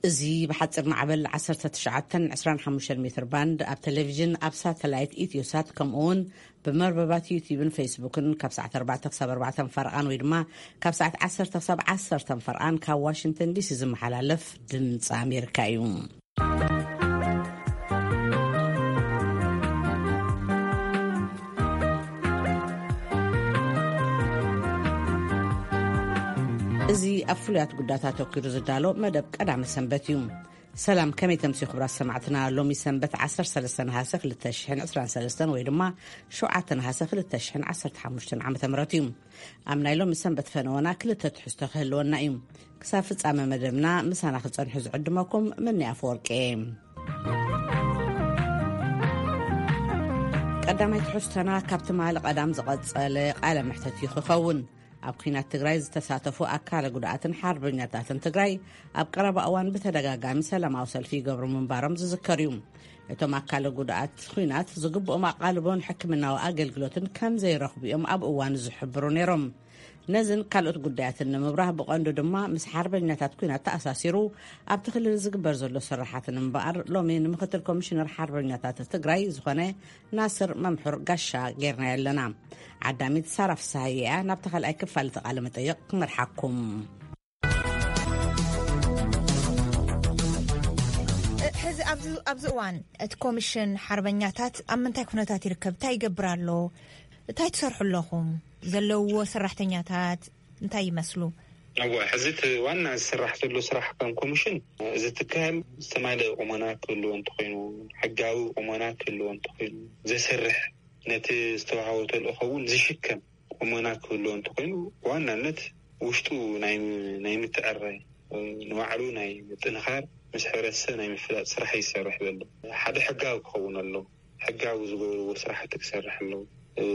እዚ ብሓፂር ማዕበል ዓሰርተ ትሽዓተን ዕስራን ሓሙሽተን ሜትር ባንድ ኣብ ቴሌቪዥን፣ ኣብ ሳተላይት ኢትዮሳት፣ ከምኡ እውን ብመርበባት ዩቲዩብን ፌስቡክን ካብ ሰዓት ኣርባዕተ ክሳብ ኣርባዕተ ፈርቓን ወይ ድማ ካብ ሰዓት ዓሰርተ ክሳብ ዓሰርተ ፈርቓን ካብ ዋሽንግተን ዲሲ ዝመሓላለፍ ድምፂ ኣሜሪካ እዩ። እዚ ኣብ ፍሉያት ጉዳያት ኣተኲሩ ዝዳሎ መደብ ቀዳመ ሰንበት እዩ። ሰላም፣ ከመይ ተምስዩ ክቡራት ሰማዕትና? ሎሚ ሰንበት ዓሰርተ ሰለስተ ነሃሰ ክልተ ሽሕን ዕስራን ሰለስተን ወይ ድማ ሸውዓተ ነሃሰ ክልተ ሽሕን ዓሰርተ ሓሙሽተን ዓመተ ምህረት እዩ። ኣብ ናይ ሎሚ ሰንበት ፈነወና ክልተ ትሕዝቶ ክህልወና እዩ። ክሳብ ፍጻመ መደብና ምሳና ክጸንሑ ዝዕድመኩም ምኒ ኣፈወርቂ እየ። ቀዳማይ ትሕዝቶና ካብ ትማሊ ቀዳም ዝቐጸለ ቃለ መሕተት እዩ ክኸውን። ኣብ ኲናት ትግራይ ዝተሳተፉ ኣካለ ጉድኣትን ሓርበኛታትን ትግራይ ኣብ ቀረባ እዋን ብተደጋጋሚ ሰላማዊ ሰልፊ ይገብሩ ምንባሮም ዝዝከር እዩ። እቶም ኣካለ ጉድኣት ኲናት ዝግብኦም ኣቓልቦን ሕክምናዊ ኣገልግሎትን ከም ዘይረኽቡ እዮም ኣብ እዋኑ ዝሕብሩ ነይሮም። ነዝን ካልኦት ጉዳያትን ንምብራህ፣ ብቐንዱ ድማ ምስ ሓርበኛታት ኲናት ተኣሳሲሩ ኣብቲ ክልል ዝግበር ዘሎ ስራሓት ንምንባር፣ ሎሚ ንምክትል ኮሚሽነር ሓርበኛታት ትግራይ ዝኾነ ናስር መምሑር ጋሻ ጌርናዮ ኣለና። ዓዳሚት ሳራ ፍስሃየ እያ ናብቲ ካልኣይ ክፋል እቲ ቃለ መጠይቕ ክመርሓኩም። ሕዚ ኣብዚ ኣብዚ እዋን እቲ ኮሚሽን ሓርበኛታት ኣብ ምንታይ ኩነታት ይርከብ? እንታይ ይገብር ኣሎ? እንታይ ትሰርሑ ኣለኹም? ዘለውዎ ሰራሕተኛታት እንታይ ይመስሉ? እወ፣ ሕዚ እቲ ዋና ዝስራሕ ዘሎ ስራሕ ከም ኮሚሽን፣ እዚ ትካል ዝተማልአ ቁመና ክህልዎ እንተኾይኑ፣ ሕጋዊ ቁመና ክህልዎ እንተኾይኑ፣ ዘሰርሕ፣ ነቲ ዝተዋህቦ ተልእኾ እውን ዝሽከም ቁመና ክህልዎ እንተኾይኑ፣ ብዋናነት ውሽጡ ናይ ናይ ምትዕራይ፣ ንባዕሉ ናይ ምጥንኻር፣ ምስ ሕብረተሰብ ናይ ምፍላጥ ስራሕ ይሰርሕ ዘሎ። ሓደ ሕጋዊ ክኸውን ኣለዎ። ሕጋዊ ዝገብርዎ ስራሕቲ ክሰርሕ ኣለዎ።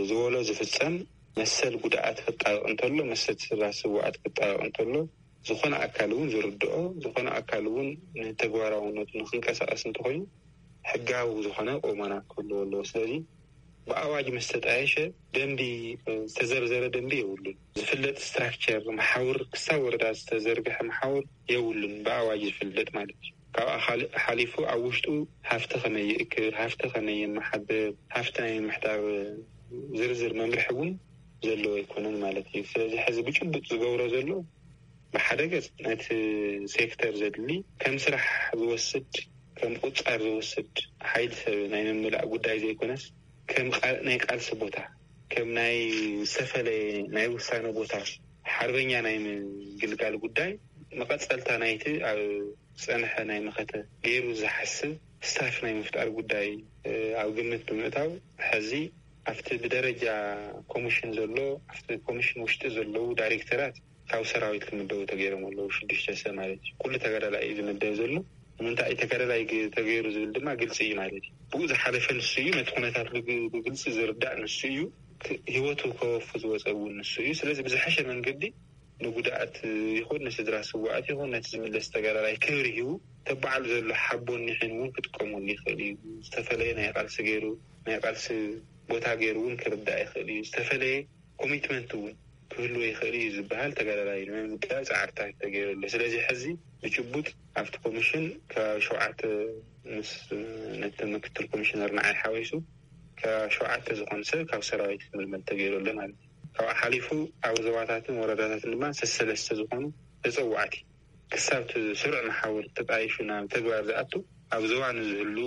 ዝበሎ ዝፍጸም፣ መሰል ጉድኣት ክጣበቕ እንተሎ፣ መሰል ስራ ስውኣት ክጣበቕ እንተሎ፣ ዝኾነ ኣካል እውን ዝርድኦ፣ ዝኾነ ኣካል እውን ንተግባራውነቱ ንክንቀሳቐስ እንተኾይኑ፣ ሕጋዊ ዝኾነ ቁመና ክህልዎ ኣለዎ። ስለዚ ብኣዋጅ ምስ ተጣየሸ፣ ደንቢ፣ ዝተዘርዘረ ደንቢ የብሉን። ዝፍለጥ ስትራክቸር መሓውር፣ ክሳብ ወረዳ ዝተዘርግሐ መሓውር የብሉን፣ ብኣዋጅ ዝፍለጥ ማለት እዩ። ካብኣ ካልእ ሓሊፉ ኣብ ውሽጡ ሃፍቲ ከመይ ይእክብ፣ ሃፍቲ ከመይ የመሓድር፣ ሃፍቲ ናይ ምሕዳር ዝርዝር መምርሒ እውን ዘለዎ ኣይኮነን ማለት እዩ። ስለዚ ሕዚ ብጭቡጥ ዝገብሮ ዘሎ፣ ብሓደ ገጽ ነቲ ሴክተር ዘድሊ ከም ስራሕ ዝወስድ፣ ከም ቁጻር ዝወስድ ሓይሊ ሰብ ናይ ምምላእ ጉዳይ ዘይኮነስ፣ ከም ቃ-፣ ናይ ቃልሲ ቦታ፣ ከም ናይ ዝተፈለየ ናይ ውሳነ ቦታ፣ ሓርበኛ ናይ ምግልጋል ጉዳይ፣ መቐጸልታ ናይቲ ኣብ ዝጸንሐ ናይ መኸተ ገይሩ ዝሓስብ ስታፍ ናይ ምፍጣር ጉዳይ፣ እ፣ ኣብ ግምት ብምእታው፣ ሕዚ ኣብቲ ብደረጃ ኮሚሽን ዘሎ፣ ኣብቲ ኮሚሽን ውሽጢ ዘለዉ ዳይሬክተራት ካብ ሰራዊት ክምደቡ ተገይሮም ኣለዉ። ሽዱሽተ ሰብ ማለት እዩ። ኩሉ ተጋዳላይ እዩ ዝምደብ ዘሎ። ንምንታይ እዩ ተጋዳላይ ግ-፣ ተገይሩ ዝብል ድማ ግልፂ እዩ ማለት እዩ። ብኡ ዝሓለፈ ንሱ እዩ፣ ነቲ ኩነታት ብግ-፣ ብግልፂ ዝርዳእ ንሱ እዩ። ክ-፣ ህይወቱ ከወፊ ዝወፀ እውን ንሱ እዩ። ስለዚ ብዝሐሸ መንገዲ ንጉድኣት ይኹን ንስድራ ስውኣት ይኹን ነቲ ዝምለስ ተጋዳላይ ክብሪ ሂቡ፣ ተባዕሉ ዘሎ ሓቦን ኒሕን እውን ክጥቀመሉ ይኽእል እዩ። ዝተፈለየ ናይ ቃልሲ ገይሩ፣ ናይ ቃልሲ ቦታ ገይሩ እውን ክርዳእ ይኽእል እዩ። ዝተፈለየ ኮሚትመንት እውን ክህልዎ ይኽእል እዩ ዝበሃል ተጋዳላይ ንምምዳብ ፃዕርታት ተገይሩ ኣሎ። ስለዚ ሕዚ ብጭቡጥ ኣብቲ ኮሚሽን ከባቢ ሸውዓተ፣ ምስ ነቲ ምክትል ኮሚሽነር ንዓይ ሓዊሱ፣ ከባቢ ሸውዓተ ዝኾነ ሰብ ካብ ሰራዊት ክምልመል ተገይሩ ኣሎ ማለት እዩ። ካብኡ ሓሊፉ ኣብ ዞባታትን ወረዳታትን ድማ ሰሰለስተ ዝኾኑ ተፀዋዕቲ ክሳብ እቲ ስሩዕ መሓውር ተጣይሹ ናብ ተግባር ዝኣቱ፣ ኣብ ዞባ ንዝህሉ፣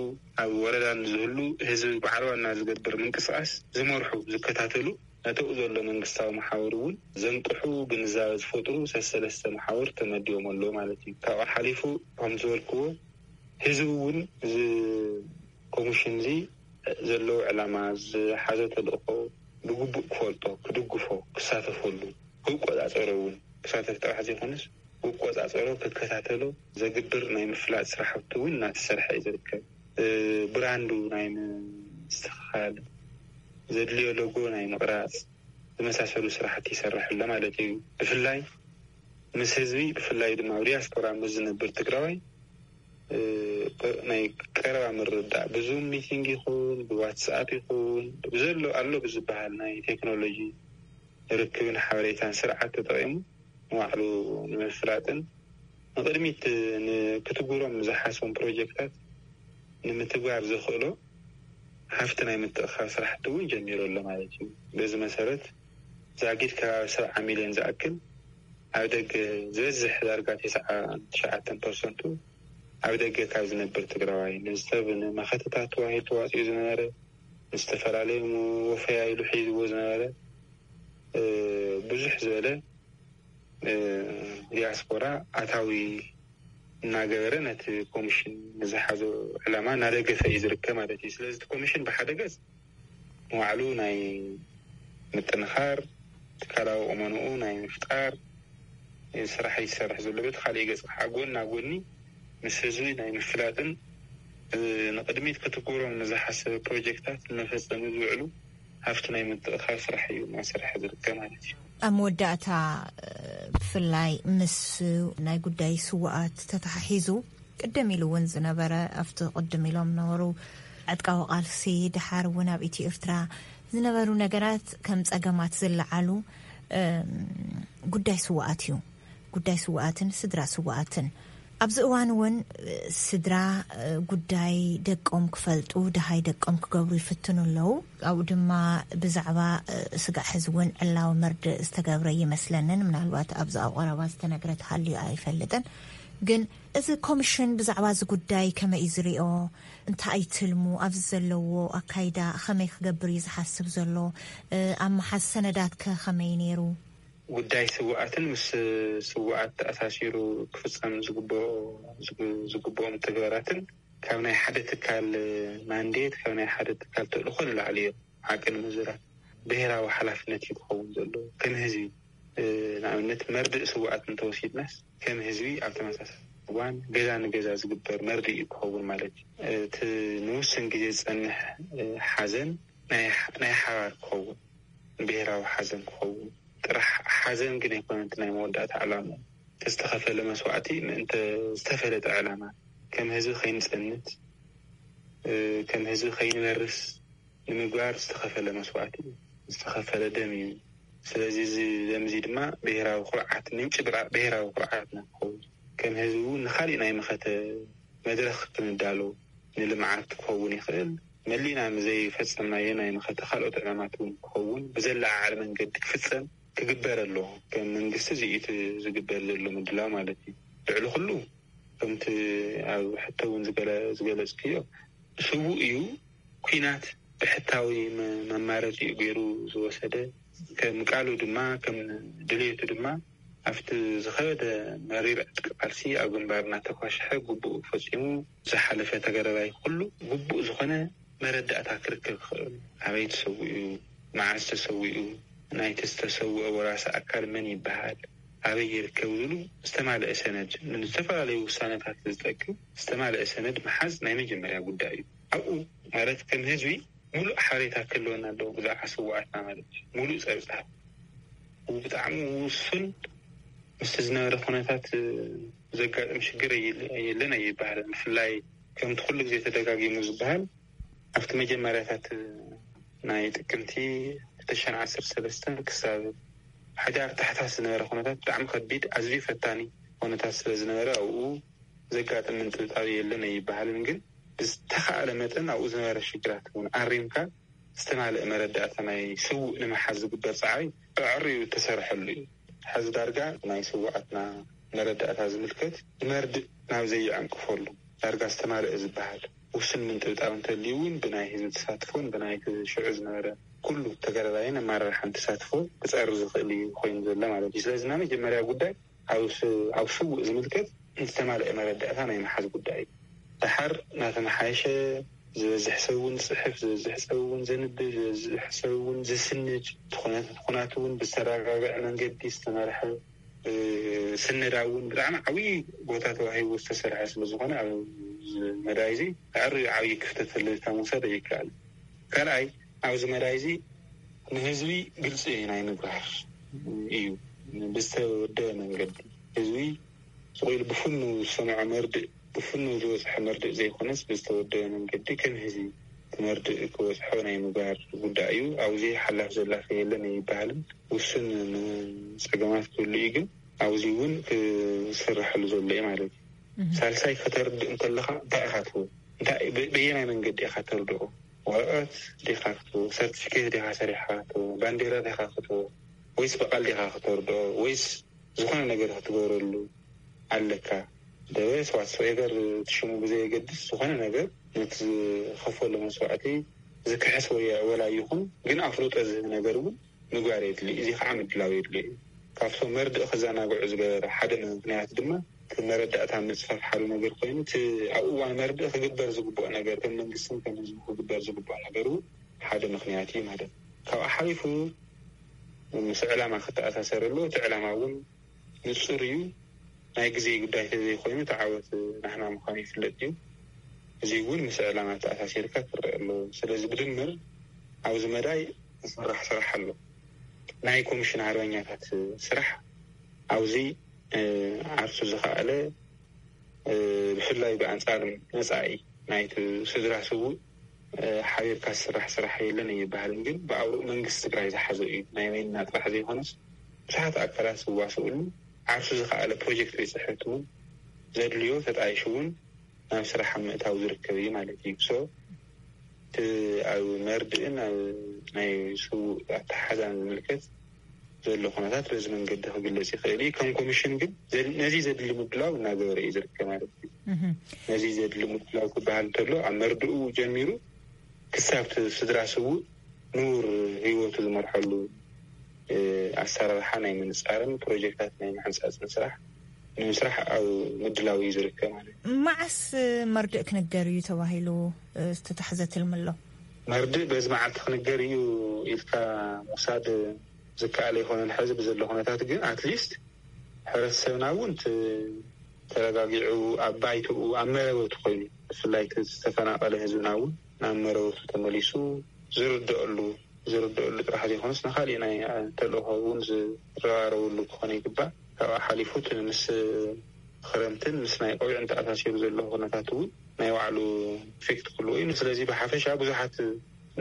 ኣብ ወረዳ ንዝህሉ ህዝቢ በዓል ዋና ዝገብር ምንቅስቃስ ዝመርሑ፣ ዝከታተሉ፣ ነተኡ ዘሎ መንግስታዊ መሓውር እውን ዘንቅሑ፣ ግንዛበ ዝፈጥሩ ሰሰለስተ መሓውር ተመዲቦም ኣለዉ ማለት እዩ። ካብኡ ሓሊፉ ከም ዝበልክዎ ህዝቢ እውን እዚ ኮሚሽን እዚ ዘለዎ ዕላማ፣ ዝሓዞ ተልእኾ ብግቡእ ክፈልጦ፣ ክድግፎ፣ ክሳተፈሉ፣ ክቆጻጸሮ እውን፣ ክሳተፍ ጥራሕ ዘይኮነስ ክቆጻጸሮ፣ ክከታተሎ ዘግብር ናይ ምፍላጥ ስራሕቲ እውን እናተሰርሐ እዩ ዝርከብ። እ፣ ብራንዱ ናይ ምስትኽኻል፣ ዘድልዮ ሎጎ ናይ ምቕራጽ ዝመሳሰሉ ስራሕቲ ይሰርሕ ኣሎ ማለት እዩ። ብፍላይ ምስ ህዝቢ፣ ብፍላይ ድማ ኣብ ዲያስፖራ ምስ ዝነብር ትግራዋይ፣ እ፣ ናይ ቀረባ ምርድዳእ፣ ብዙም ሚቲንግ ይኹን፣ ብዋትስኣፕ ይኹን፣ ብዘሎ ኣሎ ብዝበሃል ናይ ቴክኖሎጂ ርክብን ሓበሬታን ስርዓት ተጠቒሙ ንባዕሉ ንምፍላጥን ንቕድሚት ን- ክትግብሮም ዝሓሰቦም ፕሮጀክታት ንምትግባር ዘኽእሎ ሃፍቲ ናይ ምትእኻብ ስራሕቲ እውን ጀሚሩ ኣሎ ማለት እዩ። በዚ መሰረት ዛጊድ ከባቢ ሰብዓ ሚልዮን ዝኣክል ኣብ ደገ፣ ዝበዝሕ ዳርጋ ተስዓን ትሽዓተን ፐርሰንቱ ኣብ ደገ ካብ ዝነብር ትግራዋይ፣ ንዝተብ ንመኸተታት ተባሂሉ ተዋፂኡ ዝነበረ፣ ንዝተፈላለዩ ወፈያ ኢሉ ሒዝዎ ዝነበረ ብዙሕ ዝበለ ዲያስፖራ ኣታዊ እናገበረ ነቲ ኮሚሽን ንዝሓዞ ዕላማ እናደገፈ እዩ ዝርከብ ማለት እዩ። ስለዚ እቲ ኮሚሽን ብሓደ ገፅ ንባዕሉ ናይ ምጥንኻር፣ ትካላዊ ቁመንኡ ናይ ምፍጣር ስራሕ ይሰርሕ ዘሎ። በቲ ካሊእ ገፅ ከዓ ጎና ጎኒ ምስ ህዝቢ ናይ ምፍላጥን ንቅድሚት ክትግብሮም ንዝሓሰበ ፕሮጀክታት ንመፈፀሚ ዝውዕሉ ሃፍቲ ናይ ምትእኻብ ስራሕ እዩ እናሰርሐ ዝርከብ ማለት እዩ። ኣብ መወዳእታ፣ ብፍላይ ምስ ናይ ጉዳይ ስውኣት ተተሓሒዙ ቅድም ኢሉ እውን ዝነበረ፣ ኣብቲ ቅድም ኢሎም ነበሩ ዕጥቃዊ ቃልሲ፣ ድሓር እውን ኣብ ኢትዮ ኤርትራ ዝነበሩ ነገራት ከም ፀገማት ዝለዓሉ ጉዳይ ስውኣት እዩ። ጉዳይ ስውኣትን ስድራ ስውኣትን ኣብዚ እዋን እውን ስድራ ጉዳይ ደቆም ክፈልጡ፣ ደሃይ ደቆም ክገብሩ ይፍትኑ ኣለዉ። ኣብኡ ድማ ብዛዕባ ስጋዕ ሕዚ እውን ዕላዊ መርድእ ዝተገብረ ይመስለንን፣ ምናልባት ኣብዚ ኣብ ቀረባ ዝተነግረ ተሃልዩ ኣይፈልጥን። ግን እዚ ኮሚሽን ብዛዕባ እዚ ጉዳይ ከመይ እዩ ዝሪኦ? እንታይ እዩ ትልሙ? ኣብዚ ዘለዎ ኣካይዳ ከመይ ክገብር እዩ ዝሓስብ ዘሎ? ኣብ መሓዝ ሰነዳት ከ ከመይ ነይሩ? ጉዳይ ስውኣትን ምስ ስውኣት ተኣሳሲሩ ክፍፀም ዝግብኦም ተግባራትን ካብ ናይ ሓደ ትካል ማንዴት፣ ካብ ናይ ሓደ ትካል ተልእኮ ንላዕሊ እዮም። ሓቂ ንምዝራብ ብሄራዊ ሓላፍነት እዩ ክኸውን ዘሎ። ከም ህዝቢ ንኣብነት መርድእ ስውኣት እንተወሲድናስ ከም ህዝቢ ኣብ ተመሳሳሊ እዋን ገዛ ንገዛ ዝግበር መርድእ እዩ ክኸውን ማለት እዩ። እቲ ንውስን ግዜ ዝፀንሕ ሓዘን ናይ ሓባር ክኸውን፣ ብሄራዊ ሓዘን ክኸውን ጥራሕ ሓዘን ግን ኣይኮነን ናይ መወዳእታ ዕላማ። ዝተኸፈለ መስዋእቲ ምእንተ ዝተፈለጠ ዕላማ ከም ህዝቢ ከይንፀንት፣ ከም ህዝቢ ከይንበርስ ንምግባር ዝተኸፈለ መስዋእቲ፣ ዝተኸፈለ ደም እዩ። ስለዚ እዚ ደም እዚ ድማ ብሄራዊ ኩርዓት፣ ምንጪ ብራ- ብሄራዊ ኩርዓትና ክኸውን፣ ከም ህዝቢ እውን ንኻሊእ ናይ መኸተ መድረኽ ክንዳሎ፣ ንልምዓት ክኸውን ይኽእል፣ መሊእና ዘይፈጸምናዮ ናይ መኸተ ካልኦት ዕማማት እውን ክኸውን ብዘለዓዕል መንገዲ ክፍጸም ክግበር ኣለዎ። ከም መንግስቲ እዚ እዩ እቲ ዝግበር ዘሎ ምድላው ማለት እዩ። ልዕሊ ኩሉ ከምቲ ኣብ ሕቶ እውን ዝገለ- ዝገለጽክዮ፣ ስዉእ እዩ። ኲናት ብሕታዊ መ- መማረፂኡ ገይሩ ዝወሰደ፣ ከም ቃሉ ድማ ከም ድልየቱ ድማ ኣብቲ ዝኸበደ መሪር ዕጥቂ ቃልሲ ኣብ ግንባር እናተኳሸሐ ግቡኡ ፈፂሙ ዝሓለፈ ተጋዳላይ ኩሉ ግቡእ ዝኾነ መረዳእታ ክርከብ ይኽእል። ኣበይ ተሰዊኡ፣ መዓዝ ተሰዊኡ፣ ናይቲ ዝተሰወአ ወራሲ ኣካል መን ይበሃል፣ ኣበይ ይርከብ ዝብሉ ዝተማልአ ሰነድ፣ ንዝተፈላለዩ ውሳነታት ዝጠቅም ዝተማልአ ሰነድ ምሓዝ ናይ መጀመርያ ጉዳይ እዩ። ኣብኡ ማለት ከም ህዝቢ ሙሉእ ሓበሬታ ክህልወና ኣለዎ ብዛዕባ ስውኣትና ማለት እዩ። ሙሉእ ፀብፃብ ብጣዕሚ ውሱን ምስቲ ዝነበረ ኩነታት ዘጋጥም ሽግር የለ- የለን ኣይበሃልን። ብፍላይ ከምቲ ኩሉ ግዜ ተደጋጊሙ ዝበሃል ኣብቲ መጀመርያታት ናይ ጥቅምቲ ክልተ ሽሕን ዓሰርተ ሰለስተን ክሳብ ሕዳር ታሕሳስ ዝነበረ ኩነታት ብጣዕሚ ከቢድ፣ ኣዝዩ ፈታኒ ኩነታት ስለ ዝነበረ ኣብኡ ዘጋጥም ምንጥብጣብ የለን ኣይበሃልን። ግን ብዝተኻእለ መጠን ኣብኡ ዝነበረ ሽግራት እውን ኣሪምካ ዝተማልአ መረዳእታ ናይ ስውእ ንምሓዝ ዝግበር ፃዕሪ ኣዕርዩ እተሰርሐሉ እዩ። ሕዚ ዳርጋ ናይ ስውኣትና መረዳእታ ዝምልከት ንመርድእ ናብ ዘይዕንቅፈሉ ዳርጋ ዝተማልአ ዝበሃል ውሱን ምንጥብጣብ እንተልዩ እውን ብናይ ህዝቢ ተሳትፎን ብናይ ሽዑ ዝነበረ ኩሉ ተጋዳላይን ኣመራርሓን ተሳትፎ ክፀሪ ዝኽእል እዩ ኮይኑ ዘሎ ማለት እዩ። ስለዚ ናይ መጀመርያ ጉዳይ ኣብ ስ- ኣብ ስውእ ዝምልከት ዝተማልአ መረዳእታ ናይ ምሓዝ ጉዳይ እዩ። ደሓር እናተመሓየሸ ዝበዝሕ ሰብ እውን ዝፅሕፍ፣ ዝበዝሕ ሰብ እውን ዘንብብ፣ ዝበዝሕ ሰብ እውን ዝስንድ፣ እቲ ኩነት- እቲ ኩናት እውን ብዝተረጋግዐ መንገዲ ዝተመርሐ፣ እ፣ ስነዳ እውን ብጣዕሚ ዓብዪ ቦታ ተዋሂቡ ዝተሰርሐ ስለ ዝኾነ ኣብዚ መዳይ እዚ ኣዕርዩ ዓብዪ ክፍተት ተልታ ምውሳድ ኣይከኣል። ካልኣይ ኣብዚ መዳይ እዚ ንህዝቢ ግልፂ ናይ ምግባር እዩ። ብዝተወደበ መንገዲ ህዝቢ ስቕ ኢሉ ብፍኑ ዝሰምዖ መርድእ፣ ብፍኑ ዝበፅሐ መርድእ ዘይኮነስ ብዝተወደበ መንገዲ ከም ህዝቢ እቲ መርድእ ክበፅሖ ናይ ምግባር ጉዳይ እዩ። ኣብዚ ሓላፍ ዘላፍ የለን ኣይበሃልን። ውሱን ጸገማት ክህሉ እዩ፣ ግን ኣብዚ እውን ክስርሐሉ ዘሎ እዩ ማለት እዩ። ሳልሳይ ከተርድእ እንተለኻ እንታይ ኢኻ ትህቦ? እንታይ በየናይ መንገዲ ኢኻ ተርድኦ? ወረቐት ዲኻ ክትህቦ? ሰርቲፊኬት ዲኻ ሰሪሕኻ ክትህቦ? ባንዴራ ዲኻ ክትህቦ? ወይስ ብቓል ዲኻ ክተርድኦ? ወይስ ዝኾነ ነገር ክትገብረሉ ኣለካ? ደበስ ዋትሶኤቨር ሽሙ ብዘየገድስ ዝኾነ ነገር ነቲ ዝኸፈሎ መስዋዕቲ ዝክሕስ ወይ ወላ ይኹን ግን ኣፍልጦ ዝህብ ነገር እውን ምግባር የድሊ። እዚ ከዓ ምድላው የድሊ እዩ። ካብቶም መርድእ ክዘናግዑ ዝገበረ ሓደ ምክንያት ድማ እቲ መረዳእታ ምፅፋፍ ሓደ ነገር ኮይኑ እቲ ኣብ እዋን መርድእ ክግበር ዝግብኦ ነገር ከም መንግስትን ከም ህዝቡ ክግበር ዝግብኦ ነገር እውን ሓደ ምክንያት እዩ ማለት እዩ። ካብኣ ሓሊፉ ምስ ዕላማ ክተኣሳሰር ኣለዎ። እቲ ዕላማ እውን ንፁር እዩ። ናይ ግዜ ጉዳይ ተዘይኮይኑ እቲ ዓወት ናህና ምዃኑ ይፍለጥ እዩ። እዚ እውን ምስ ዕላማ ተኣሳሲርካ ክረአ ኣለዎ። ስለዚ ብድምር ኣብዚ መዳይ ዝስራሕ ስራሕ ኣሎ። ናይ ኮሚሽን ኣርበኛታት ስራሕ ኣብዚ ዓርሱ ዝኸኣለ ብፍላይ ብኣንፃር መፃኢ ናይቲ ስድራ ስውእ ሓቢርካ ዝስራሕ ስራሕ የለን ኣይበሃልን። ግን ብኣውርኡ መንግስቲ ትግራይ ዝሓዘ እዩ። ናይ በይንና ጥራሕ ዘይኮነስ ብዙሓት ኣካላት ዝዋስኡሉ ዓርሱ ዝኸኣለ ፕሮጀክት ቤት ፅሕፈት እውን ዘድልዮ ተጣይሹ እውን ናብ ስራሕ ኣብ ምእታው ዝርከብ እዩ ማለት እዩ። ሶ እቲ ኣብ መርድእን ኣብ ናይ ስውእ ኣተሓዛን ዝምልከት ዘሎ ኩነታት በዚ መንገዲ ክግለፅ ይኽእል እዩ። ከም ኮሚሽን ግን ነዚ ዘድሊ ምድላው እናገበረ እዩ ዝርከብ ማለት እዩ። ነዚ ዘድሊ ምድላው ክበሃል እንተሎ ኣብ መርድኡ ጀሚሩ ክሳብ እቲ ስድራ ስውእ ንቡር ህይወቱ ዝመርሐሉ ኣሰራርሓ ናይ ምንፃርን ፕሮጀክታት ናይ ምሕንፃፅን ስራሕ ንምስራሕ ኣብ ምድላው እዩ ዝርከብ ማለት እዩ። መዓስ መርድእ ክንገር እዩ ተባሂሉ ዝተታሕዘ ትልሚ ኣሎ? መርድእ በዚ መዓልቲ ክንገር እዩ ኢልካ ምውሳድ ዝከኣል ኣይኮነን። ሕዚ ብዘሎ ኩነታት ግን ኣትሊስት ሕብረተሰብና እውን ተረጋጊዑ ኣብ ባይትኡ ኣብ መረበቱ ኮይኑ ብፍላይ ዝተፈናቀለ ህዝብና እውን ናብ መረበቱ ተመሊሱ ዝርደአሉ ዝርደአሉ ጥራሕ ዘይኮነስ ንካሊእ ናይ ተልእኮ እውን ዝረባረብሉ ክኾነ ይግባእ። ካብኣ ሓሊፉ እቲ ምስ ክረምትን ምስ ናይ ቆቢዕን ተኣሳሲሩ ዘሎ ኩነታት እውን ናይ ባዕሉ ኢፌክት ክህልዎ እዩ። ስለዚ ብሓፈሻ ብዙሓት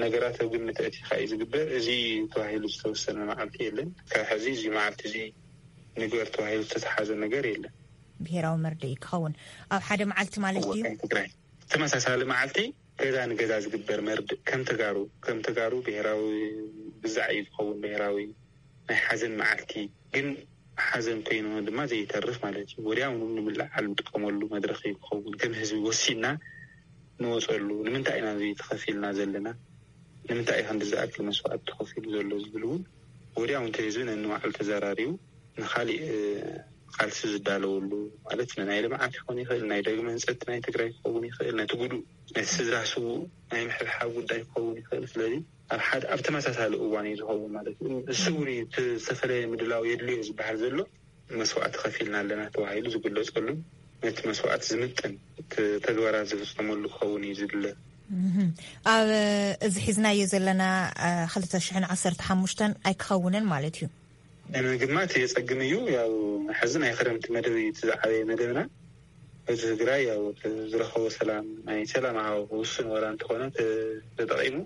ነገራት ኣብ ግምት ኣእቲኻ እዩ ዝግበር። እዚ ተባሂሉ ዝተወሰነ መዓልቲ የለን። ካብ ሕዚ እዚ መዓልቲ እዚ ንግበር ተባሂሉ ዝተተሓዘ ነገር የለን። ብሄራዊ መርድእ ክኸውን ኣብ ሓደ መዓልቲ ማለት ድዩ? ትግራይ ተመሳሳሊ መዓልቲ ገዛ ንገዛ ዝግበር መርድእ ከም ተጋሩ ከም ተጋሩ ብሄራዊ ግዛዕ እዩ ዝኸውን። ብሄራዊ ናይ ሓዘን መዓልቲ ግን ሓዘን ኮይኑ ድማ ዘይተርፍ ማለት እዩ። ወዲያውኑ ንምልዓል ንጥቀመሉ መድረኽ እዩ ክኸውን። ከም ህዝቢ ወሲና ንወፀሉ ንምንታይ ኢና እዚ ተኸፊልና ዘለና? ንምንታይ እዩ ክንዲ ዝኣክል መስዋዕቲ ተኸፊሉ ዘሎ ዝብል እውን ወዲያው እንተ ህዝቢ ነንባዕሉ ተዘራሪቡ ንኻሊእ ቃልሲ ዝዳለወሉ ማለት ናይ ልምዓት ክኸውን ይኽእል፣ ናይ ዳግመ ህንፀት ናይ ትግራይ ክኸውን ይኽእል፣ ነቲ ጉዱእ ነቲ ስድራ ስውእ ናይ ምሕብሓብ ጉዳይ ክኸውን ይኽእል። ስለዚ ኣብ ሓደ ኣብ ተመሳሳሊ እዋን እዩ ዝኸውን ማለት እዩ። እሱ እውን እዩ እቲ ዝተፈለየ ምድላው የድልዮ ዝበሃል ዘሎ መስዋዕቲ ከፊልና ኣለና ተባሂሉ ዝግለፀሉ ነቲ መስዋዕቲ ዝምጥን ተግባራት ዝፍፀመሉ ክኸውን እዩ ዝድለ። ኣብ እዚ ሒዝናዮ ዘለና ክልተ ሽሕን ዓሰርተ ሓሙሽተን ኣይክኸውንን ማለት እዩ። ንምግማት የፀግም እዩ። ያው ሕዚ ናይ ክረምቲ መደብ እዩ እቲ ዝዓበየ መደብና። ህዝቢ ትግራይ ያው ዝረኸቦ ሰላም ናይ ሰላም ሃዋሁ ውሱን ወላ እንተኾነ ተጠቂሙ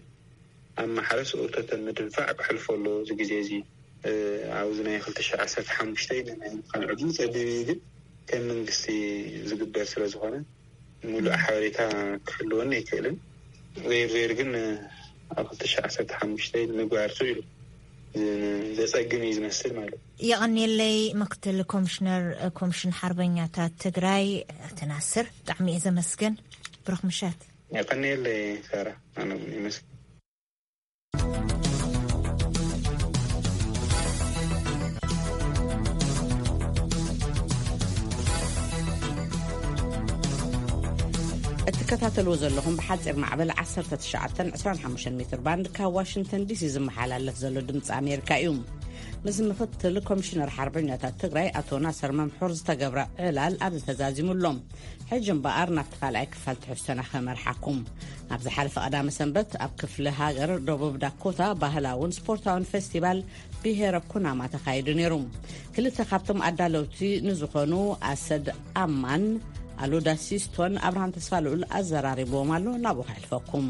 ኣብ ማሕረስ እቶተ ምድንፋዕ ክሕልፎ ኣለዎ። እዚ ግዜ እዚ ኣብዚ ናይ ክልተ ሽሕ ዓሰርተ ሓሙሽተ ናይ ምዃን ዕድል ፀቢብ እዩ። ግን ከም መንግስቲ ዝግበር ስለ ዝኾነ ሙሉእ ሓበሬታ ክህልወኒ ኣይክእልን። ዘይር ዘይር ግን ኣብ ክልተ ሽሕ ዓሰርተ ሓሙሽተ ንምግባር እዩ ዘፀግም እዩ ዝመስል ማለት እዩ። የቐንየለይ ምክትል ኮሚሽነር ኮሚሽን ሓርበኛታት ትግራይ ኣቶ ናስር፣ ብጣዕሚ እየ ዘመስግን። ብሩኽ ምሸት። የቐንየለይ ሳራ። ኣነ እውን ይመስል። እትከታተልዎ ዘለኹም ብሓፂር ማዕበል ዓሰርተ ትሽዓተን ዕስራን ሓሙሽተን ሜትር ባንድ ካብ ዋሽንግተን ዲሲ ዝመሓላለፍ ዘሎ ድምፂ ኣሜሪካ እዩ። ምስ ምክትል ኮሚሽነር ሓርበኛታት ትግራይ ኣቶ ናስር መምሑር ዝተገብረ ዕላል ኣብዚ ተዛዚሙ ኣሎ። ሕጂ እምበኣር ናብቲ ካልኣይ ክፋል ትሕዝቶና ከመርሓኩም። ኣብ ዝሓለፈ ቀዳመ ሰንበት ኣብ ክፍለ ሃገር ደቡብ ዳኮታ ባህላውን ስፖርታውን ፌስቲቫል ብሄረ ኩናማ ተኻይዱ ነይሩ። ክልተ ካብቶም ኣዳለውቲ ንዝኾኑ ኣሰድ ኣማን ኣሉዳ ሲስቶን ኣብርሃም ተስፋ ልኡል ኣዘራሪብዎም ኣሎ። ናብኡ ከሕልፈኩም።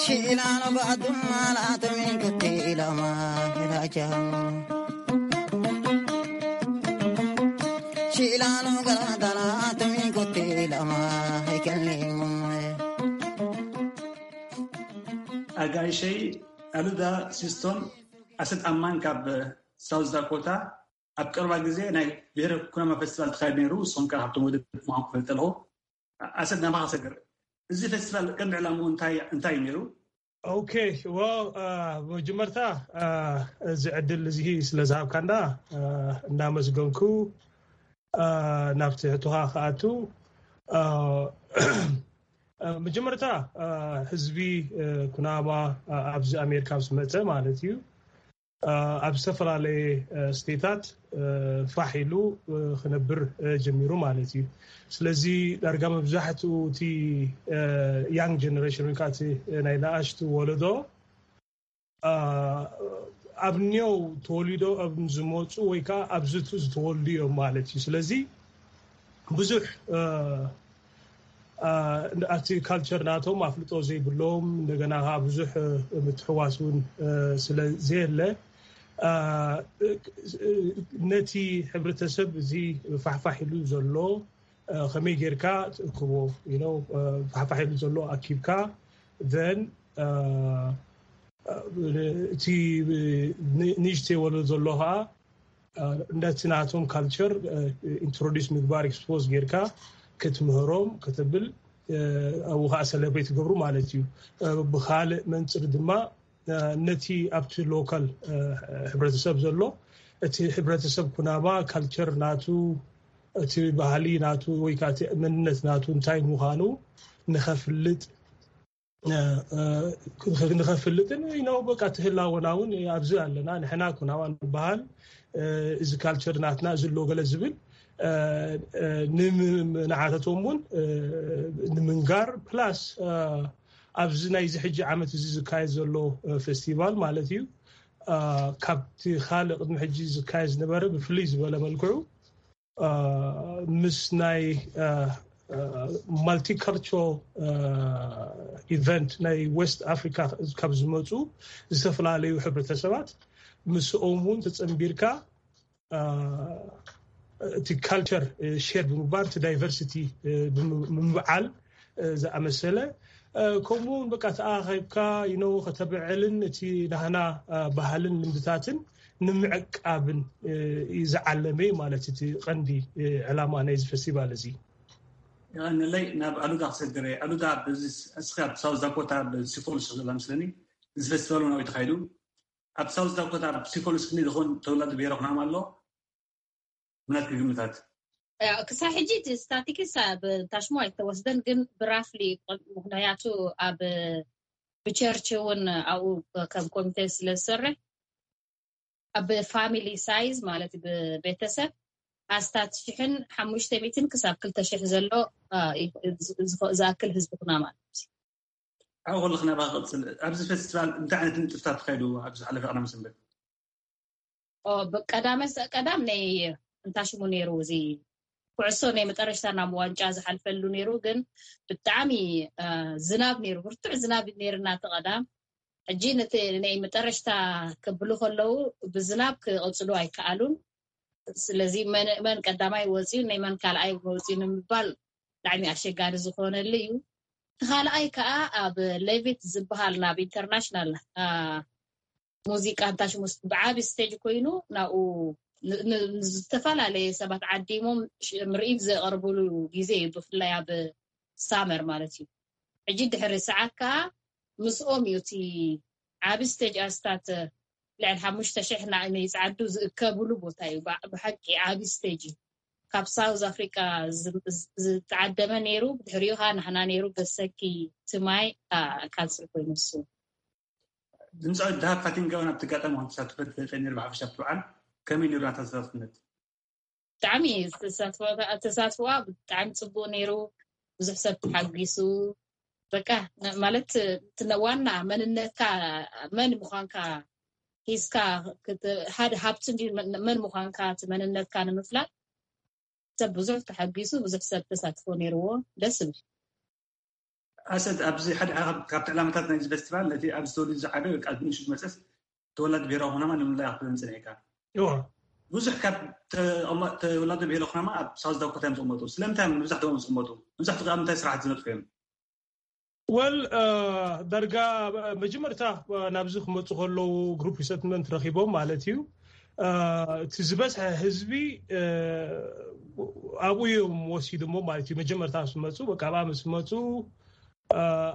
Shilano gaduma la tumin kuti lama hilacha. Shilano gadala tumin kuti lama hikalimu. ኣጋይሸይ ኣሉዳ ሲስቶን ኣሰት ኣማን ካብ ሳውዝ ዳኮታ ኣብ ቀርባ ግዜ ናይ ብሔረ ኩናማ ፌስቲቫል ተኻይድ ነይሩ። ንስኹም ከኣ ካብቶም ወደብ ምዃንኩም ክፈልጥ ኣለኹ። ኣሰት ናባኻ ሰግር። እዚ ፌስቲቫል ቀንዲ ዕላምኡ እንታይ እንታይ እዩ ነይሩ? ኦኬ፣ well መጀመርታ እዚ ዕድል እዚ ስለ ዝሃብካና እናመስገንኩ ናብቲ ሕቶኻ ክኣቱ። መጀመርታ ህዝቢ ኩናማ ኣብዚ ኣሜሪካ ምስ መፀ ማለት እዩ ኣብ ዝተፈላለየ ስቴታት ፋሕ ኢሉ ክነብር ጀሚሩ ማለት እዩ። ስለዚ ዳርጋ መብዛሕትኡ እቲ ያንግ ጀነሬሽን ወይ ከዓ እቲ ናይ ንኣሽቱ ወለዶ ኣብ ኒው ተወሊዶ ኣብ ዝመፁ ወይ ከዓ ኣብዝቱ ዝተወልዱ እዮም ማለት እዩ። ስለዚ ብዙሕ ኣብቲ ካልቸር ናቶም ኣፍልጦ ዘይብሎም እንደገና ከዓ ብዙሕ ምትሕዋስ እውን ስለ ዘየለ ነቲ ሕብረተሰብ እዚ ፋሕፋሕ ኢሉ ዘሎ ከመይ ጌርካ ትእክቦ ፋሕፋሕ ኢሉ ዘሎ ኣኪብካ then እቲ ንእሽተይ ወለዶ ዘሎ ከዓ ነቲ ናቶም ካልቸር ኢንትሮዲስ ምግባር ኤክስፖዝ ጌርካ ክትምህሮም ከተብል ኣብኡ ከዓ ሰለብሬት ትገብሩ ማለት እዩ። ብካልእ መንፅር ድማ ነቲ ኣብቲ ሎካል ሕብረተሰብ ዘሎ እቲ ሕብረተሰብ ኩናማ ካልቸር ናቱ እቲ ባህሊ ናቱ ወይ ከዓ እቲ መንነት ናቱ እንታይ ምዃኑ ንኸፍልጥ ንኸፍልጥን ነው በቃ ትህላወና እውን ኣብዚ ኣለና ንሕና ኩናማ ንበሃል እዚ ካልቸር ናትና እዚ ኣሎ ገለ ዝብል ንዓተቶም እውን ንምንጋር ፕላስ ኣብዚ ናይዚ ሕጂ ዓመት እዚ ዝካየድ ዘሎ ፌስቲቫል ማለት እዩ ካብቲ ካልእ ቅድሚ ሕጂ ዝካየድ ዝነበረ ብፍልይ ዝበለ መልክዑ ምስ ናይ ማልቲካልቸራል ኢቨንት ናይ ዌስት ኣፍሪካ ካብ ዝመፁ ዝተፈላለዩ ሕብረተሰባት ምስኦም እውን ተፀንቢርካ እቲ ካልቸር ሼር ብምግባር እቲ ዳይቨርሲቲ ብምብዓል ዝኣመሰለ ከምኡ እውን በቃ ተኣኻኺብካ ይነው ከተብዕልን እቲ ናህና ባህልን ልምድታትን ንምዕቃብን ዝዓለመ ማለት እቲ ቀንዲ ዕላማ ናይዚ ፌስቲቫል እዚ። ይቐንለይ ናብ ኣሉዳ ክሰግር እየ። ኣሉዳ እስኺ ኣብ ሳውዝ ዳኮታ ብሲኮልስ ዘላ ምስለኒ እዚ ፌስቲቫል እውን ኣብኡ ተኻይዱ ኣብ ሳውዝ ዳኮታ ኣብ ሲኮልስ ክንዲ ዝኾን ተወላዲ ብሄረ ኩናማ ኣሎ ምናት ክግምታት ክሳብ ሕጂ እቲ ስታቲክስ ብታሽሞ ኣይተወስደን ግን ብራፍሊ ምክንያቱ ኣብ ብቸርች እውን ኣብኡ ከም ኮሚቴ ስለ ዝሰርሕ ኣብ ፋሚሊ ሳይዝ ማለት ብቤተሰብ ኣስታት ሽሕን ሓሙሽተ ሚትን ክሳብ ክልተ ሽሕ ዘሎ ዝኣክል ህዝቢ ኩና ማለት እዩ። ኣብኡ ከለኽ ናባኻ ክቕፅል፣ ኣብዚ ፌስቲቫል እንታይ ዓይነት ንጥፍታት ተኻይዱ? ኣብዚ ዝሓለፈ ቀዳም ሰንበት ቀዳመ ቀዳም ናይ እንታይ ሽሙ ነይሩ እዚ ኩዕሶ ናይ መጠረሽታ ናብ ዋንጫ ዝሓልፈሉ ነይሩ፣ ግን ብጣዕሚ ዝናብ ነይሩ፣ ብርቱዕ ዝናብ ነይርና እቲ ቀዳም። ሕጂ ነቲ ናይ መጠረሽታ ከብሉ ከለዉ ብዝናብ ክቕፅሉ ኣይከኣሉን። ስለዚ መን ቀዳማይ ወፅዩ ናይ መን ካልኣይ ወፅዩ ንምባል ብጣዕሚ ኣሸጋሪ ዝኾነሉ እዩ። እቲ ካልኣይ ከዓ ኣብ ሌቪት ዝበሃል ናብ ኢንተርናሽናል ሙዚቃ እንታይ ሽሙ ብዓቢ ስቴጅ ኮይኑ ናብኡ ዝተፈላለየ ሰባት ዓዲሞም ምርኢት ዘቕርብሉ ግዜ እዩ፣ ብፍላይ ኣብ ሳመር ማለት እዩ። ሕጂ ድሕሪ ሰዓት ከዓ ምስኦም እዩ እቲ ዓቢ ስቴጅ ኣስታት ልዕሊ ሓሙሽተ ሽሕ ንዓይ ይፅዓዱ ዝእከብሉ ቦታ እዩ። ብሓቂ ዓቢ ስቴጅ እዩ። ካብ ሳውዝ ኣፍሪቃ ዝተዓደመ ነይሩ፣ ብድሕሪኡ ከዓ ናህና ነይሩ፣ ገሰኪ ትማይ ካንስል ኮይኑ ንሱ። ድምፃዊት ደሃብ ፋቲንጋ እውን ኣብቲ ኣጋጣሚ ከም ተሳትፈት ተፈሊጠ ነይሩ። ብሓፈሻ ኣብቲ በዓል ከመይ ነይሩ ናታ ተሳትፍነት? ብጣዕሚ ተሳትፎኣ ብጣዕሚ ፅቡቅ ነይሩ። ብዙሕ ሰብ ተሓጒሱ። በቃ ማለት ዋና መንነትካ መን ምዃንካ ሒዝካ ሓደ ሃብቲ መን ምዃንካ እቲ መንነትካ ንምፍላጥ ሰብ ብዙሕ ተሓጒሱ፣ ብዙሕ ሰብ ተሳትፎ ነይርዎ። ደስ ዝብል። ኣሰድ፣ ኣብዚ ሓደ ካብቲ ዕላማታት ናይዚ ፌስቲቫል ነቲ ኣብዚ ተወሊዱ ዝዓበየ ወይ ከዓ ብንእሽቱ ዝመፀስ ተወላዲ ብሄራዊ ኩናማ ንምልላይ ክትብል ምፅንሕ ኢካ። ብዙሕ ካብ ተወላዲ ብሄራዊ ኩናማ ኣብ ሳውዝ ዳኮታ እዮም ዝቕመጡ። ስለምንታይ እዮም መብዛሕትኦም ዝቕመጡ? መብዛሕትኡ ኣብ ምንታይ ስራሕቲ ዝነጥፉ እዮም? ወል ዳርጋ መጀመርታ ናብዚ ክመፁ ከለዉ ግሩፕ ሪሰትልመንት ረኪቦም ማለት እዩ። እቲ ዝበዝሐ ህዝቢ ኣብኡ እዮም ወሲድሞ ማለት እዩ። መጀመርታ ምስ መፁ፣ በቃ ኣብኣ ምስ መፁ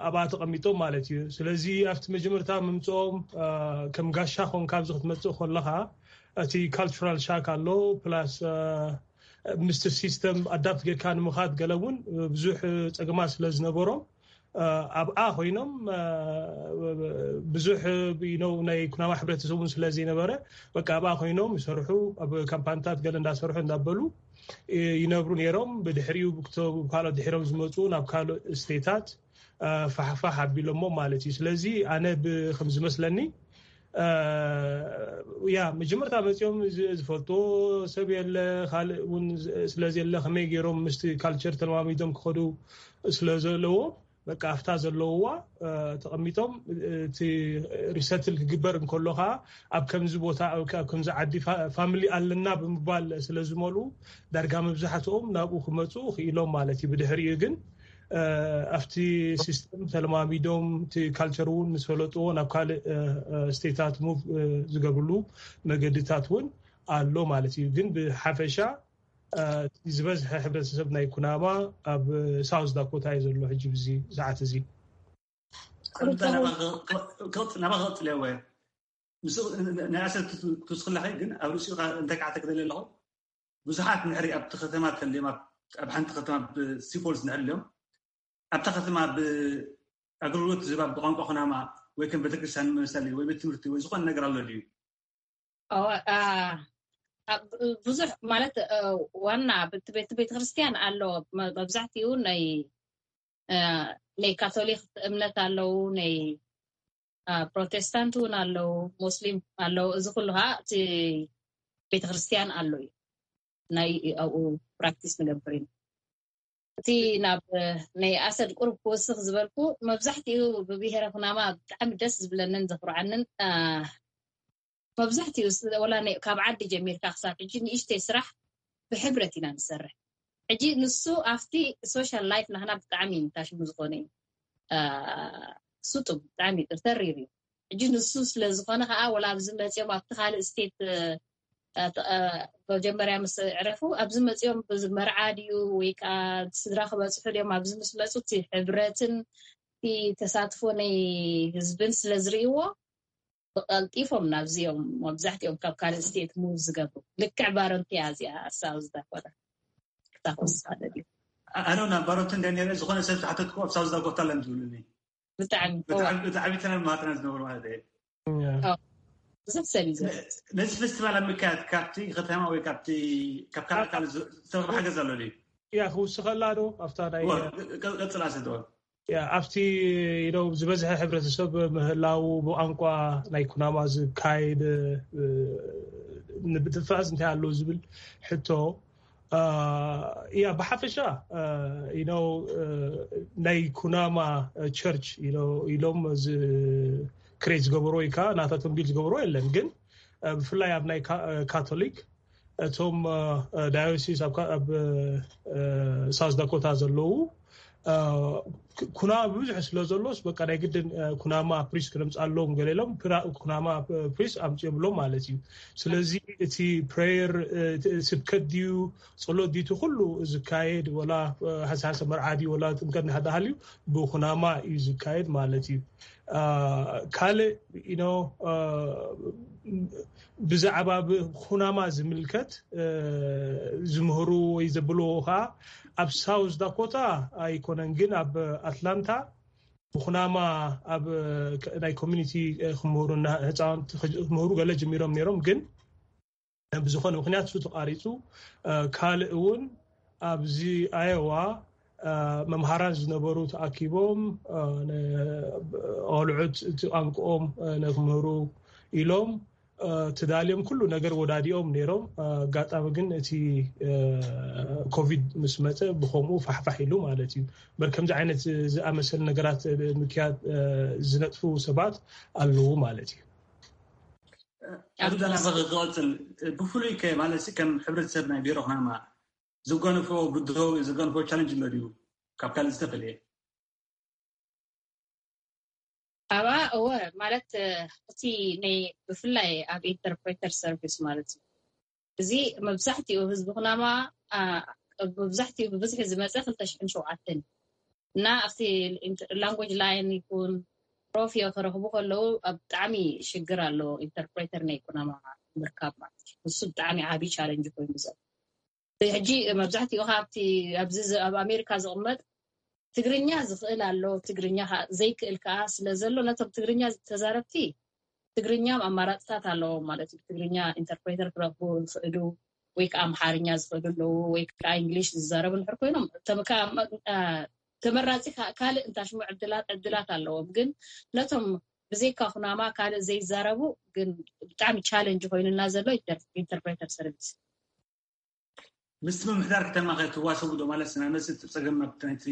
ኣብኣ ተቐሚጦም ማለት እዩ። ስለዚ ኣብቲ መጀመርታ ምምፅኦም ከም ጋሻ ኮንካ ኣብዚ ክትመፅእ ከለካ እቲ ካልቸራል ሻክ ኣሎ፣ ፕላስ ምስቲ ሲስተም ኣዳፕት ጌርካ ንምኻድ ገለ እውን ብዙሕ ፀገማት ስለ ዝነበሮም ኣብኣ ኮይኖም ብዙሕ ናይ ኩናማ ሕብረተሰብ እውን ስለ ዘይነበረ በቃ ኣብኣ ኮይኖም ይሰርሑ፣ ኣብ ካምፓኒታት ገለ እንዳሰርሑ እንዳበሉ ይነብሩ ነይሮም። ብድሕሪኡ ካልኦት ድሒሮም ዝመፁ ናብ ካልእ ስቴታት ፋሕፋሕ ኣቢሎሞ ማለት እዩ። ስለዚ ኣነ ከም ዝመስለኒ ያ መጀመርታ መፂኦም ዝፈልጥዎ ሰብ የለ፣ ካልእ እውን ስለዘየለ ከመይ ገይሮም ምስቲ ካልቸር ተለማሚዶም ክኸዱ ስለዘለዎ በቃ ኣብታ ዘለውዋ ተቐሚጦም እቲ ሪሰትል ክግበር እንከሎ ከዓ ኣብ ከምዚ ቦታ ኣብ ከምዚ ዓዲ ፋሚሊ ኣለና ብምባል ስለ ዝመልኡ ዳርጋ መብዛሕትኦም ናብኡ ክመፁ ክኢሎም ማለት እዩ። ብድሕሪኡ ግን ኣብቲ ሲስተም ተለማሚዶም እቲ ካልቸር እውን ምስ ፈለጥዎ ናብ ካልእ ስቴታት ሙቭ ዝገብርሉ መገድታት እውን ኣሎ ማለት እዩ። ግን ብሓፈሻ ዝበዝሐ ሕብረተሰብ ናይ ኩናማ ኣብ ሳውዝ ዳኮታ እዩ ዘሎ ሕጂ ብዚ ሰዓት እዚ። ናባ ክቕፅል እየ። ምስ ናይ ኣሰር ክትውስኽላኸ ግን ኣብ ርእሲኡ እንታይ ከዓ ተክደለ ኣለኹ። ብዙሓት ንሕሪ ኣብቲ ከተማ ተልዮም ኣብ ሓንቲ ከተማ ብሲፖልስ ንሕሪ እዮም ኣብታ ከተማ ብኣገልግሎት ዝባ ብቋንቋ ኩናማ ወይ ከም ቤተክርስትያን መመሰሊ ወይ ቤት ትምህርቲ ወይ ዝኾነ ነገር ኣሎ ድዩ? ብዙሕ ማለት ዋና ቤት ቤተክርስትያን ኣሎ። መብዛሕትኡ ናይ ናይ ካቶሊክ እምነት ኣለዉ፣ ናይ ፕሮቴስታንት እውን ኣለዉ፣ ሙስሊም ኣለዉ። እዚ ኩሉ ከዓ እቲ ቤተክርስትያን ኣሎ እዩ። ናይ ኣብኡ ፕራክቲስ ንገብር ኢና። እቲ ናብ ናይ ኣሰድ ቁሩብ ክወስኽ ዝበልኩ መብዛሕትኡ ብብሄረ ኩናማ ብጣዕሚ ደስ ዝብለንን ዘኩርዓንን መብዛሕትኡ ወላ ካብ ዓዲ ጀሚርካ ክሳብ ሕጂ ንእሽተይ ስራሕ ብሕብረት ኢና ንሰርሕ። ሕጂ ንሱ ኣብቲ ሶሻል ላይፍ ናህና ብጣዕሚ ታሽሙ ዝኾነ እዩ። ስጡም ብጣዕሚ ተሪር እዩ። ሕጂ ንሱ ስለ ዝኾነ ከዓ ወላ ኣብዚ መፅኦም ኣብቲ ካልእ ስቴት መጀመርያ ምስ ዕረፉ ኣብዚ መፅኦም መርዓ ድዩ ወይ ከዓ ስድራ ክበፅሑ ድዮም ኣብዚ ምስ መፁ እቲ ሕብረትን እቲ ተሳትፎ ናይ ህዝብን ስለ ዝርእይዎ ብቐልጢፎም ናብዚኦም መብዛሕትኦም ካብ ካልእ ስቴት ሙቭ ዝገብሩ ልክዕ ባረንትያ እዚኣ ሳውዝ ዳኮታ ክታኮስ ሓደ ድዩ ኣነ ናብ ባሮንት እንደ ነረ ዝኾነ ሰብ ዝሓተትኩ ኣብ ሳውዝ ዳኮታ ለም ዝብሉኒ ብጣዕሚ ብጣዕሚ ተናማትና ዝነበሩ ማለት እየ። ብዙሕ ሰብ እዩ ነዚ ፌስቲቫል ኣብ ምክያድ ካብቲ ከተማ ወይ ካብቲ ካብ ካልእ ካልእ ዝተረኽበ ሓገዝ ኣሎ ድዩ? ያ ክውስኸላ ዶ ኣብታ ናይ ቀፅላ ሰደወ ያ ኣብቲ ነው ዝበዝሐ ሕብረተሰብ ምህላው ብቋንቋ ናይ ኩናማ ዝካየድ ንብትፋዝ እንታይ ኣለዉ ዝብል ሕቶ ያ ብሓፈሻ ነው ናይ ኩናማ ቸርች ኢሎም እዚ ክሬት ዝገበሮ ወይ ከዓ ናታቶም ቢል ዝገበሮ የለን። ግን ብፍላይ ኣብ ናይ ካቶሊክ እቶም ዳዮሲስ ኣብ ሳውዝ ዳኮታ ዘለዉ ኩናማ ብዙሕ ስለ ዘሎስ በቃ ናይ ግድን ኩናማ ፕሪስ ክነምፃሎም ገለ ኢሎም ኩናማ ፕሪስ ኣምፅኦምሎም ማለት እዩ። ስለዚ እቲ ፕሬየር ስብከት ድዩ ፀሎት ድዩ እቲ ኩሉ ዝካየድ ወላ ሓሳሰ መርዓ ድዩ ወላ ጥምቀት ናሕዳሃልዩ ብኩናማ እዩ ዝካየድ ማለት እዩ። ካልእ ኖ ብዛዕባ ብኩናማ ዝምልከት ዝምህሩ ወይ ዘብልዎ ከዓ ኣብ ሳውዝ ዳኮታ ኣይኮነን፣ ግን ኣብ ኣትላንታ ብኩናማ ኣብ ናይ ኮሚኒቲ ክምህሩ ህፃውንቲ ክምህሩ ገለ ጀሚሮም ነይሮም፣ ግን ብዝኾነ ምክንያት እሱ ተቋሪፁ። ካልእ እውን ኣብዚ ኣየዋ መምሃራን ዝነበሩ ተኣኪቦም ቆልዑት እቲ ቋንቋኦም ነክምህሩ ኢሎም ተዳልዮም ኩሉ ነገር ወዳዲኦም ነይሮም። ኣጋጣሚ ግን እቲ ኮቪድ ምስ መፀ ብከምኡ ፋሕፋሕ ኢሉ ማለት እዩ። በር ከምዚ ዓይነት ዝኣመሰሉ ነገራት ምክያድ ዝነጥፉ ሰባት ኣለዉ ማለት እዩ። ኣብዛ ናባኺ ክቐፅል፣ ብፍሉይ ከ ማለት ከም ሕብረተሰብ ናይ ቢሮ ኩናማ ዝገንፎ ብድሆ ዝገንፎ ቻለንጅ ኣሎ ድዩ ካብ ካልእ ዝተፈለየ? ኣብኣ እወ፣ ማለት እቲ ናይ ብፍላይ ኣብ ኢንተርፕሬተር ሰርቪስ ማለት እዩ። እዚ መብዛሕትኡ ህዝቢ ኩናማ መብዛሕትኡ ብብዝሒ ዝመፀ ክልተ ሽሕን ሸውዓተን እና ኣብቲ ላንጉጅ ላይን ይኩን ሮፍዮ ክረኽቡ ከለዉ ኣብ ብጣዕሚ ሽግር ኣሎ። ኢንተርፕሬተር ናይ ኩናማ ምርካብ ማለት እዩ። ንሱ ብጣዕሚ ዓብዪ ቻለንጅ ኮይኑ ዘሎ ሕጂ መብዛሕትኡ ካብቲ ኣብዚ ኣብ ኣሜሪካ ዝቕመጥ ትግርኛ ዝኽእል ኣሎ፣ ትግርኛ ዘይክእል ከዓ ስለ ዘሎ ነቶም ትግርኛ ተዛረብቲ ትግርኛ ኣማራፅታት ኣለዎም ማለት እዩ። ትግርኛ ኢንተርፕሬተር ክረኽቡ ይኽእሉ ወይ ከዓ ኣምሓርኛ ዝኽእሉ ኣለዉ ወይ ከዓ እንግሊሽ ዝዛረቡ ንሕር ኮይኖም ተመራፂ ካልእ እንታሽሙ ዕድላት ዕድላት ኣለዎም። ግን ነቶም ብዘይካ ኩናማ ካልእ ዘይዛረቡ ግን ብጣዕሚ ቻለንጅ ኮይኑና ዘሎ ኢንተርፕሬተር ሰርቪስ። ምስቲ ምምሕዳር ከተማ ከ ትዋሰቡ ዶ ማለት ስና ነዚ እቲ ፀገም ናይቲ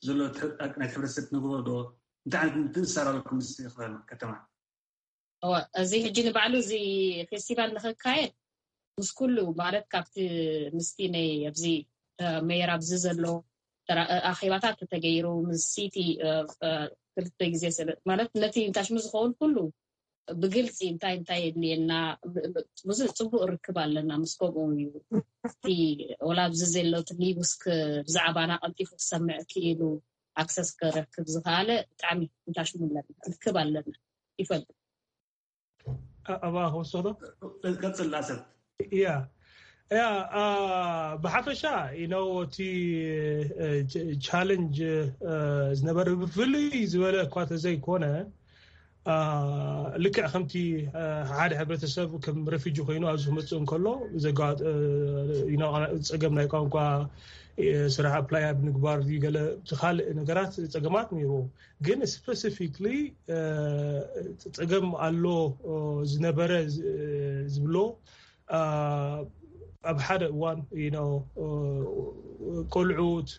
ዘሎ ናይቲ ሕብረተሰብ ትነግሮ ዶ? እንታይ ዓይነት ምትእስሳር ኣለኩም ምስቲ ከተማ? እዚ ሕጂ ንባዕሉ እዚ ፌስቲቫል ንክካየድ ምስ ኩሉ ማለት ካብቲ ምስቲ ናይ ኣብዚ ሜየር ኣብዚ ዘሎ ኣኼባታት ተተገይሩ ምስ ሲቲ ክልተ ግዜ ማለት ነቲ እንታሽሙ ዝኸውን ኩሉ ብግልፂ እንታይ እንታይ የድልየና ብዙ ፅቡቅ ርክብ ኣለና ምስ ከምኡ እዩ። እቲ ወላ ኣብዚ ዘሎ እቲ ኒውስ ብዛዕባና ቀልጢፉ ክሰምዕ ክኢሉ ኣክሰስ ክረክብ ዝኸኣለ ብጣዕሚ እንታሽሙ ኣለና ርክብ ኣለና ይፈልጥ። ኣባ ክወስዶ ቀፅል ኣሰብ ያ ያ ብሓፈሻ ኢነው እቲ ቻለንጅ ዝነበረ ብፍልይ ዝበለ እኳ ተዘይኮነ ልክዕ ከምቲ ሓደ ሕብረተሰብ ከም ረፊጂ ኮይኑ ኣብዚ ክመፅእ እንከሎ ፀገም ናይ ቋንቋ ስራሕ ኣፕላይ ኣብ ምግባር ገለ ካልእ ነገራት ፀገማት ነይርዎ። ግን ስፐሲፊክሊ ፀገም ኣሎ ዝነበረ ዝብሎ ኣብ ሓደ እዋን ቆልዑት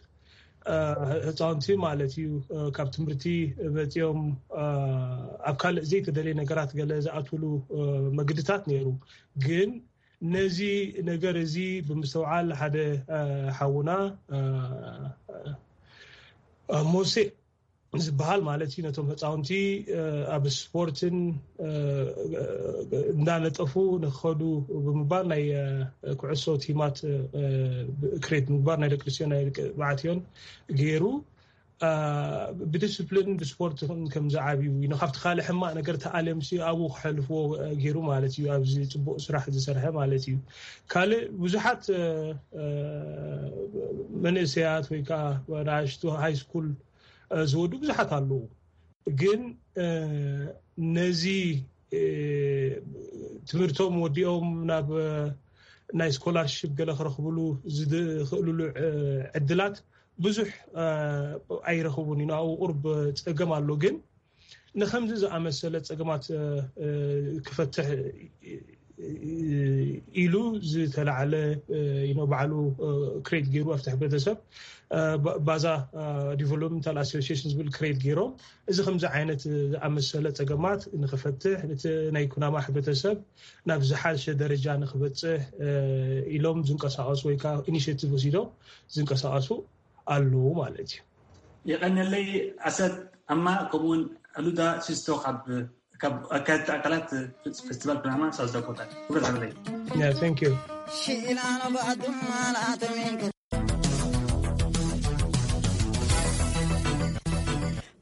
ህፃውንቲ ማለት እዩ ካብ ትምህርቲ መፂኦም ኣብ ካልእ ዘይተደለየ ነገራት ገለ ዝኣትውሉ መግድታት ነይሩ። ግን ነዚ ነገር እዚ ብምስተውዓል ሓደ ሓውና ሞሴ ዝበሃል ማለት እዩ ነቶም ህፃውንቲ ኣብ ስፖርትን እንዳነጠፉ ንክኸዱ ብምባል ናይ ኩዕሶ ቲማት ክሬት ምግባር ናይ ደቂ ኣንስትዮ ናይ ደቂ ተባዕትዮን ገይሩ ብዲስፕሊን ብስፖርት ከም ዝዓብዩ እዩ ካብቲ ካልእ ሕማቅ ነገር ተኣልዮም ኣብኡ ክሐልፍዎ ገይሩ ማለት እዩ። ኣብዚ ፅቡቅ ስራሕ ዝሰርሐ ማለት እዩ። ካልእ ብዙሓት መንእሰያት ወይ ከዓ ንኣሽቱ ሃይ ስኩል ዝወዱ ብዙሓት ኣለዉ። ግን ነዚ ትምህርቶም ወዲኦም ናብ ናይ ስኮላርሽፕ ገለ ክረኽብሉ ዝኽእልሉ ዕድላት ብዙሕ ኣይረኽቡን እዩ። ንኣኡ ቁርብ ፀገም ኣሎ። ግን ንከምዚ ዝኣመሰለ ፀገማት ክፈትሕ ኢሉ ዝተላዓለ ባዕሉ ክሬት ገይሩ ኣብቲ ሕብረተሰብ ባዛ ዲቨሎፕመንታል ኣሶሲሽን ዝብል ክሬት ገይሮም እዚ ከምዚ ዓይነት ዝኣመሰለ ፀገማት ንክፈትሕ እቲ ናይ ኩናማ ሕብረተሰብ ናብ ዝሓሸ ደረጃ ንክበፅሕ ኢሎም ዝንቀሳቀሱ ወይ ከዓ ኢኒሽቲቭ ወሲዶም ዝንቀሳቀሱ ኣለዉ ማለት እዩ። የቀነለይ ኣሰብ ኣማ ከምኡውን ኣሉዳ ሲስቶ ካብ ካብ ኣካየድቲ ኣካላት ፌስቲቫል ፕላማ ሳውዝ ዳኮታ ክብረት ኣለይ። Yeah, thank you.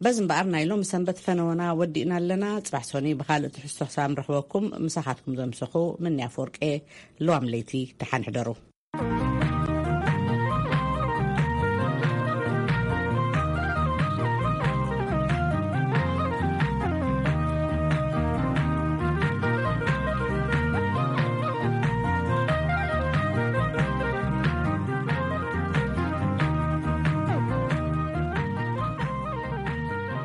በዚ እምበኣር ናይ ሎሚ ሰንበት ፈነወና ወዲእና ኣለና። ፅባሕ ሶኒ ብካልእ ትሕዝቶ ክሳብ ንረኽበኩም ምሳኻትኩም ዘምሰኹ ምንያ ኣፈወርቄ። ለዋም ለይቲ ደሓን ሕደሩ።